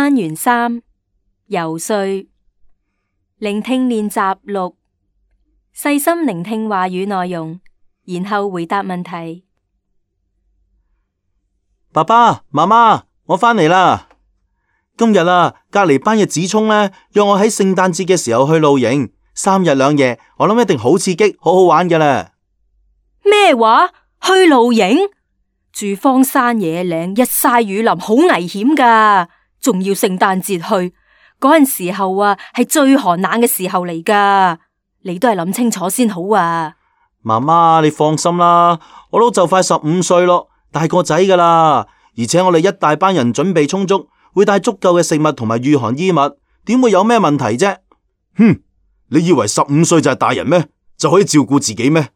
單元3游說聆聽練習6，細心聆聽話語內容，然後回答問題。爸爸媽媽，我返嚟啦！今日啊，隔籬班嘅子聰呢，約我喺聖誕節嘅時候去露營，3日2夜，我諗一定好刺激，好好玩㗎啦。咩話？去露營？住荒山野嶺，日曬雨淋，好危險噶，仲要聖誕節去，嗰陣時候啊，係最寒冷嘅時候嚟噶，你都係諗清楚先好啊。媽媽，你放心啦，我都就快15歲咯，大個仔噶啦，而且我哋一大班人準備充足，會帶足夠嘅食物同埋御寒衣物，點會有咩問題啫？哼，你以為15歲就係大人咩？就可以照顧自己咩？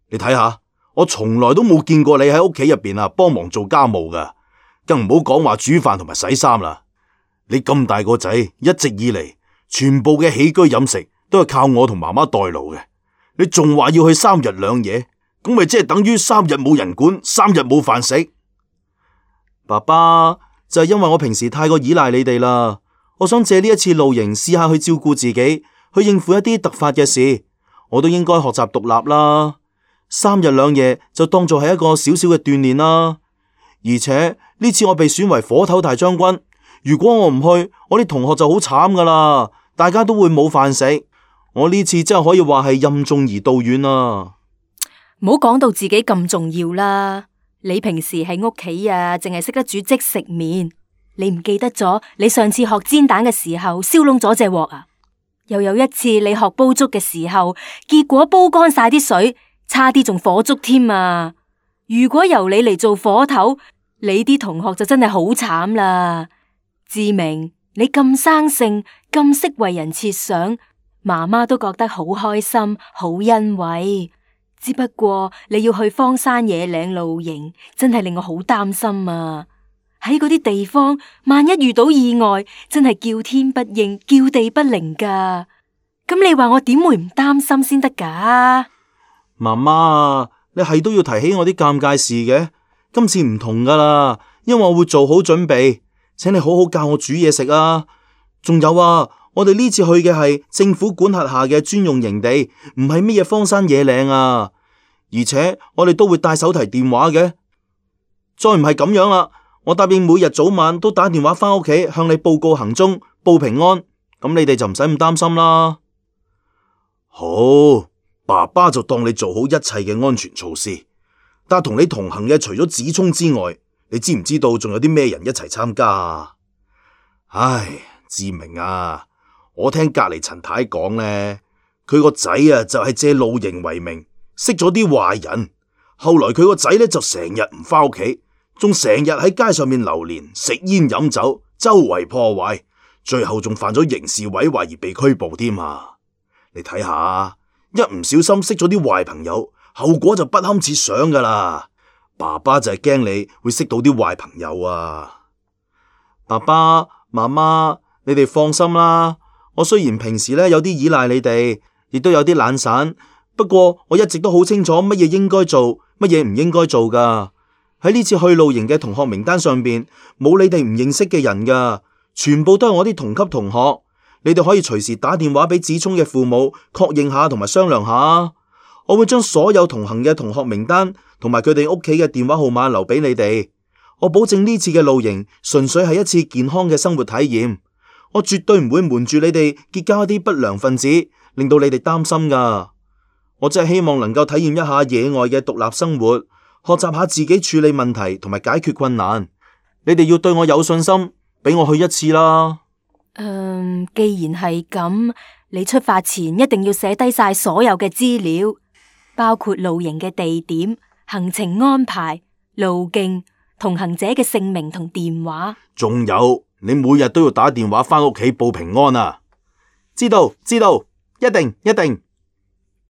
你睇下。我從來都冇見過你喺屋企入邊幫忙做家務噶，更唔好講話煮飯同埋洗衫啦。你咁大個仔，一直以嚟全部嘅起居飲食都係靠我同媽媽代勞嘅。你仲話要去3日2夜，咁咪即係等於3日冇人管，3日冇飯食。爸爸，就係因為我平時太過依賴你哋啦，我想借呢一次露營試下去照顧自己，去應付一啲突發嘅事，我都應該學習獨立啦。3日2夜就當做係一個小小嘅鍛煉啦，而且呢次我被選為火頭大將軍，如果我唔去，我啲同學就好慘噶啦，大家都會冇飯食。我呢次真係可以話係任重而道遠啊！唔好講到自己咁重要啦，你平時喺屋企啊，淨係識得煮即食麵，你唔記得咗你上次學煎蛋嘅時候燒燶咗隻鑊啊？又有一次你學煲粥嘅時候，結果煲乾晒啲水。差啲仲火燭添啊！如果由你嚟做火頭，你啲同學就真係好慘啦。志明，你咁生性，咁識為人設想，媽媽都覺得好開心，好欣慰。只不過你要去荒山野嶺露營，真係令我好擔心啊！喺嗰啲地方，萬一遇到意外，真係叫天不應，叫地不靈噶。咁你話我點會唔擔心先得噶？媽媽，你係都要提起我啲尷尬事嘅。今次唔同噶啦，因為我會做好準備，請你好好教我煮嘢食啊。仲有啊，我哋呢次去嘅係政府管轄下嘅專用營地，唔係乜嘢荒山野嶺啊。而且我哋都會帶手提電話嘅。再唔係咁樣啦，我答應每日早晚都打電話返屋企向你報告行蹤，報平安。咁你哋就唔使咁擔心啦。好。爸爸就當你做好一切嘅安全措施，但同你同行嘅除咗子聰之外，你知唔知道仲有啲咩人一齊參加啊？唉，志明啊，我聽隔籬陳太講呢，佢個仔啊就係借露營為名，識咗啲壞人，後來佢個仔呢就成日唔返屋企，仲成日喺街上面流連，食煙飲酒，周圍破壞，最後仲犯咗刑事毀壞而被拘捕添啊！你睇下。一唔小心識咗啲壞朋友，後果就不堪設想噶啦。爸爸就係驚你會識到啲壞朋友啊。爸爸媽媽，你哋放心啦。我雖然平時有啲依賴你哋，亦都有啲懶散，不過我一直都好清楚乜嘢應該做，乜嘢唔應該做噶。喺呢次去露營嘅同學名單上邊，冇你哋唔認識嘅人噶，全部都係我啲同級同學。你哋可以隨時打電話俾子聰嘅父母確認下同埋商量下，我會將所有同行嘅同學名單同埋佢哋屋企嘅電話號碼留俾你哋。我保證呢次嘅露營純粹係一次健康嘅生活體驗，我絕對唔會瞞住你哋結交一啲不良分子，令到你哋擔心噶。我真係希望能夠體驗一下野外嘅獨立生活，學習下自己處理問題同埋解決困難。你哋要對我有信心，俾我去一次啦。既然係咁，你出發前一定要寫低晒所有嘅資料，包括露營嘅地點、行程安排、路徑、同行者嘅姓名同電話。仲有，你每日都要打電話返屋企報平安啊！知道，一定。